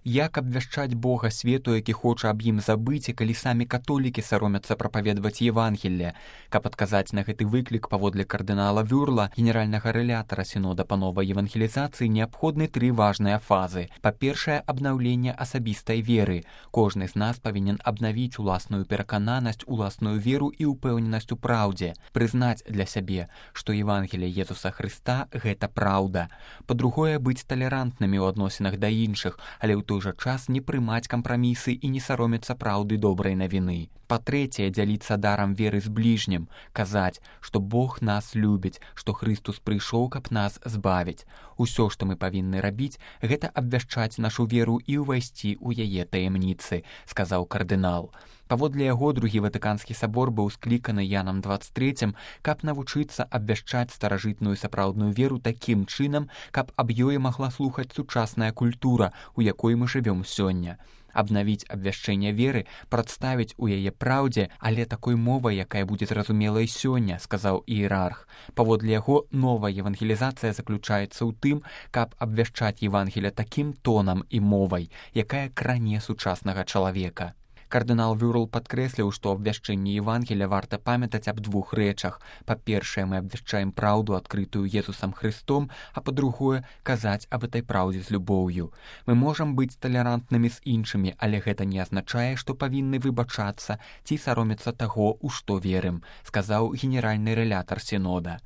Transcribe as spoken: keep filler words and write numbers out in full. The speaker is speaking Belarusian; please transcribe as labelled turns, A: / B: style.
A: Як абвяшчаць Бога свету, які хоча аб ім забыць, і калі самі католікі саромяцца прапаведаваць Евангелле? Каб адказаць на гэты выклік, паводле кардынала Вюрла, генеральнага рэлятара сінода па новай евангелізацыі, неабходны тры важныя фазы. Па-першае, абнаўленне асабістай веры. Кожны з нас павінен абнавіць уласную перакананасць, уласную веру і ўпэўненасць у праўдзе. Прызнаць для сябе, што Евангелие Езуса Хрыста – гэта праўда. Па-другое, быць талерантнымі ў адносінах да іншых, але ў той жа час не прымаць кампрамісы і не саромецца праўды добрай навіны. Па-трэцяе, дзяліцца дарам веры з бліжнім, казаць, што Бог нас любіць, што Хрыстус прыйшоў, каб нас збавіць. Усё, што мы павінны рабіць, гэта абвяшчаць нашу веру і ўвайсці ў яе таямніцы, сказаў кардынал. Паводле яго, другі Ватыканскі сабор быў скліканы Янам дваццаць трэцім, каб навучыцца абвяшчаць старажытную сапраўдную веру такім чынам, каб аб ёй магла слухаць сучасная культура, у якой мы жывём сёння. Абнавіць абвяшчэнне веры, прадставіць у яе праўдзе, але такой мовай, якая будзе зразумелай сёння, сказаў іерарх. Паводле яго, новая евангелізацыя заключаецца ў тым, каб абвяшчаць Евангелие такім тонам і мовай, якая кране сучаснага чалавека. Кардынал Вюрл падкрэсліў, што абвяшчэнне Евангелия варта памятаць аб двух рэчах. Па-першае, мы абвяшчаем праўду, адкрытую Езусам Хрыстом, а па-другое, казаць аб этой праўдзе з любоўю. Мы можам быць талерантнымі з іншымі, але гэта не азначае, што павінны выбачацца ці саромецца таго, у што верым, сказаў генеральны рэлятар сінода.